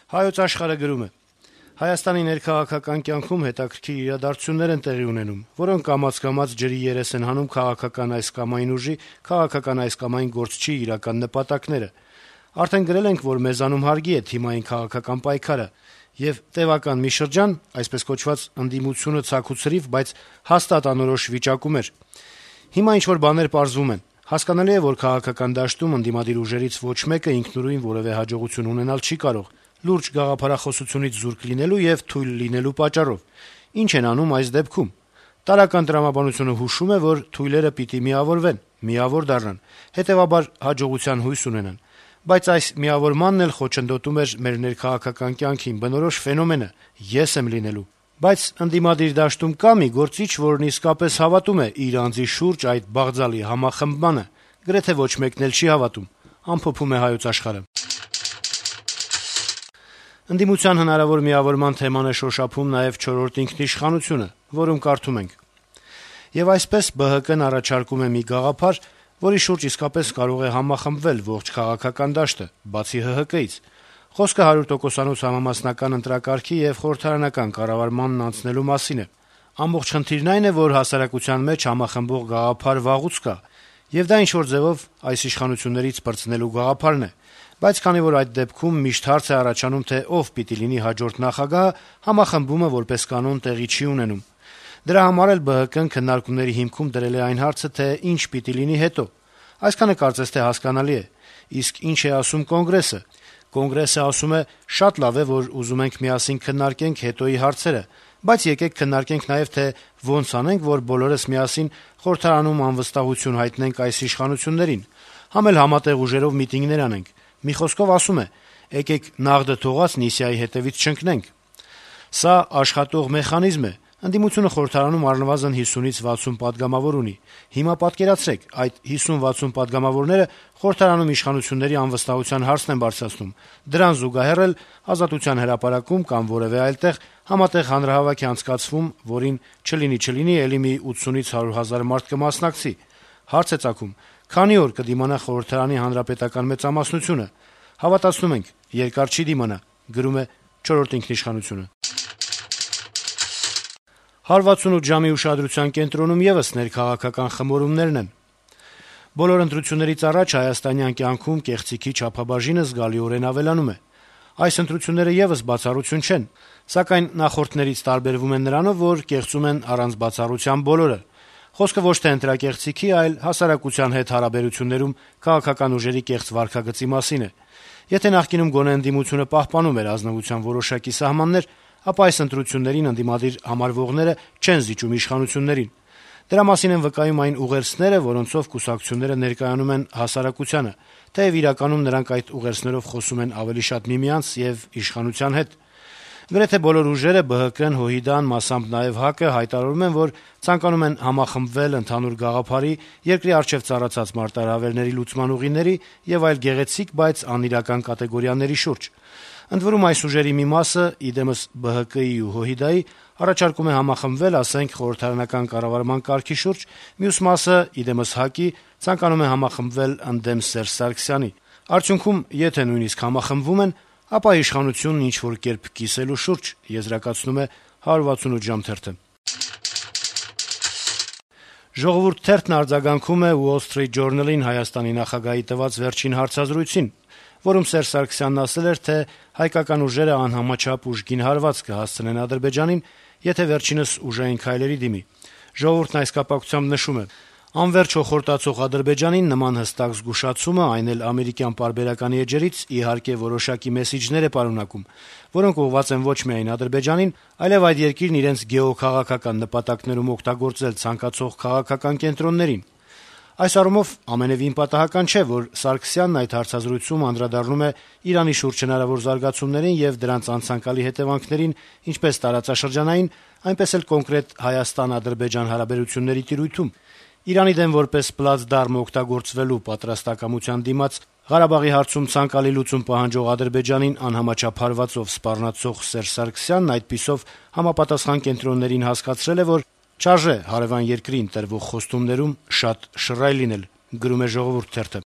Հայոց Աշխարհը գրում է. - Հայաստանի ներքաղաքական կյանքում հետաքրքիր իրադարձություններ են տեղի ունենում, որոնք կամաց-կամաց ջրի երես են հանում քաղաքական այս կամ այն ուժի, քաղաքական այս կամ այն գործչի իրական նպատակները: Արդեն գրել ենք, որ մեզանում հարգի է թիմային քաղաքական պայքարը, եւ տեւական մի շրջան, այսպես կոչված, ընդդիմությունը ցաքուցրիվ, բայց հաստատ անորոշ վիճակում էր: Հիմա ինչ-որ բաներ պարզվում են: Հասկանալի է, որ քաղաքական դաշտում ընդդիմադիր ուժերից ոչ մեկը ինքնուրույն որեւէ հաջողություն ունենալ չի կարող, լուրջ գաղափարախոսությունից զուրկ լինելու եւ թույլ լինելու պատճառով: Ինչ են անում այս դեպքում: Տարրական տրամաբանությունը հուշում է, որ թույլերը պիտի միավորվեն, միավոր դառնան, հետեւաբար հաջողության հույս ունենան: Բայց այս միավորմանն էլ խոչընդոտում էր մեր ներքաղաքական կյանքին բնորոշ ֆենոմենը՝ «ես եմ լինելու»: Բայց ընդդիմադիր դաշտում կա՞ մի գործիչ, որն իսկապես հավատում է իր անձի շուրջ այդ բաղձալի համախմբմանը: Գրեթե ոչ մեկն էլ չի հավատում: Ընդդիմության հնարավոր միավորման թեման է շոշափում նաեւ «Չորրորդ ինքնիշխանությունը», որում կարդում ենք. - «Եվ այսպես ԲՀԿ-ն առաջարկում է մի գաղափար, որի շուրջ իսկապես կարող է համախմբվել ողջ քաղաքական դաշտը, բացի ՀՀԿ-ից: Խոսքը 100%-անոց համամասնական ընտրակարգի եւ խորհրդարանական կառավարմանն անցնելու մասին է: Ամբողջ խնդիրն այն է, որ հասարակության մեջ համախմբող գաղափար վաղուց կա, եւ դա ինչ-որ ձեւով այս իշխանություններից պրծնելու գաղափարն է: Բայց քանի որ այդ դեպքում միշտ հարց է առաջանում, թե ով պիտի լինի հաջորդ նախագահը, համախմբումը որպես կանոն տեղի չի ունենում: Դրա համար էլ ԲՀԿ-ն քննարկումների հիմքում դրել է այն հարցը, թե ինչ պիտի լինի հետո: Այսքանը կարծես թե հասկանալի է: Իսկ ինչ է ասում Կոնգրեսը: Կոնգրեսը ասում է՝ շատ լավ է, որ ուզում ենք միասին քննարկենք հետոյի հարցերը, բայց եկեք քննարկենք նաեւ, թե ոնց անենք, որ բոլորս միասին խորհրդարանում անվստահություն հայտնենք այս իշխանություններին, համ էլ համատեղ ուժերով միտինգներ անենք: Մի խոսքով ասում է՝ եկեք նաղդը թողած Նիսիայի հետեւից չընկնենք: Սա աշխատող մեխանիզմ է: Ընդդիմությունը խորհրդարանում առնվազն 50-ից 60 պատգամավոր ունի: Հիմա պատկերացրեք, այդ 50-60 պատգամավորները խորհրդարանում իշխանությունների անվստահության հարցն են բարձրացնում, դրան զուգահեռ էլ Ազատության հրապարակում կամ որեւէ այլ տեղ համատեղ հանրահավաք է անցկացվում, որին չլինի էլի մի 80-ից 100 հազար մարդ կմասնակցի: Հարց է ծագում՝ քանի՞ օր կդիմանա խորհրդարանի հանրապետական մեծամասնությունը: Հավատացնում ենք՝ երկար չի դիմանա»: «168 ժամ»-ի ուշադրության կենտրոնում եւս ներքաղաքական խմորումներն են: Բոլոր ընտրություններից առաջ հայաստանյան կյանքում կեղծիքի չափաբաժինը զգալիորեն ավելանում է: Այս ընտրությունները եւս բացառություն չեն, սակայն նախորդներից տարբերվում են նրանով, որ կեղծում են առանց բացառության բոլորը: Խոսքը ոչ թե ընտրակեղծիքի, այլ հասարակության հետ հարաբերություններում քաղաքական ուժերի կեղծ վարքագծի մասին է: Եթե նախկինում գոնե ընդդիմությունը պահպանում էր ազնվության որոշակի սահմաններ, ապա այս ընտրություններին ընդդիմադիր համարվողները չեն զիջում իշխանություններին: Դրա մասին են վկայում այն ուղերձները, որոնցով կուսակցությունները ներկայանում են հասարակությանը, թեեւ իրականում նրանք այդ ուղերձներով խոսում են ավելի շատ միմյանց եւ իշխանության հետ: Գրեթե բոլոր ուժերը՝ ԲՀԿ-ն, ՀՅԴ-ն, մասամբ նաեւ ՀԱԿ-ը, հայտարարում են, որ ցանկանում են համախմբվել ընդհանուր գաղափարի, երկրի առջեւ ծառացած մարտահրավերների լուծման ուղիների եւ այլ գեղեցիկ, բայց անիրական կատեգորիաների շուրջ: Ընդ որում, այս ուժերի մի մասը, ի դեմս ԲՀԿ-ի ու ՀՅԴ-ի, առաջարկում է համախմբվել, ասենք, խորհրդարանական կառավարման կարգի շուրջ, մյուս մասը, ի դեմս ՀԱԿ-ի, ցանկանում է համախմբվել ընդդեմ Սերժ Սարգսյանի: Արդյունքում, եթե նույնիսկ համախմբվում են, ապա իշխանությունն ինչ-որ կերպ կիսելու շուրջ: Եզրակացնում է 168 ժամ թերթը: «Ժողովուրդ» թերթն արձագանքում է Wall Street Journal-ին Հայաստանի նախագահի տված վերջին հարցազրույցին, որում Սերժ Սարգսյանն ասել էր, թե հայկական ուժերը անհամաչափ ուժգին հարված կհասցնեն Ադրբեջանին, եթե վերջինս ուժային քայլերի դիմի: «Ժողովուրդ»-ն այս կապակցությամբ նշում է. - «Անվերջ հոխորտացող Ադրբեջանին նման հստակ զգուշացումը, այն էլ ամերիկյան պարբերականի էջերից, իհարկե որոշակի մեսիջներ է պարունակում, որոնք ուղղված են ոչ միայն Ադրբեջանին, այլեւ այդ երկիրն իրենց գեոքաղաքական նպատակներում օգտագործել ցանկացող քաղաքական կենտրոններին: Այս առումով ամենեւին պատահական չէ, որ Սարգսյանն այդ հարցազրույցում անդրադառնում է Իրանի շուրջ հնարավոր զարգացումներին եւ դրանց անցանկալի հետեւանքներին ինչպես տարածաշրջանային, այնպես էլ կոնկրետ Հայաստան-Ադրբեջան հարաբերությունների տիրույթում: Իրանի դեմ որպես պլացդարմ օգտագործվելու պատրաստակամության դիմաց Ղարաբաղի հարցում ցանկալի լուծում պահանջող Ադրբեջանին անհամաչափ հարվածով սպառնացող Սերժ Սարգսյանն այդպիսով համապատասխան կենտրոններին հասկացրել է, որ չարժե հարեւան երկրին տրվող խոստումներում շատ շռայլ լինել»: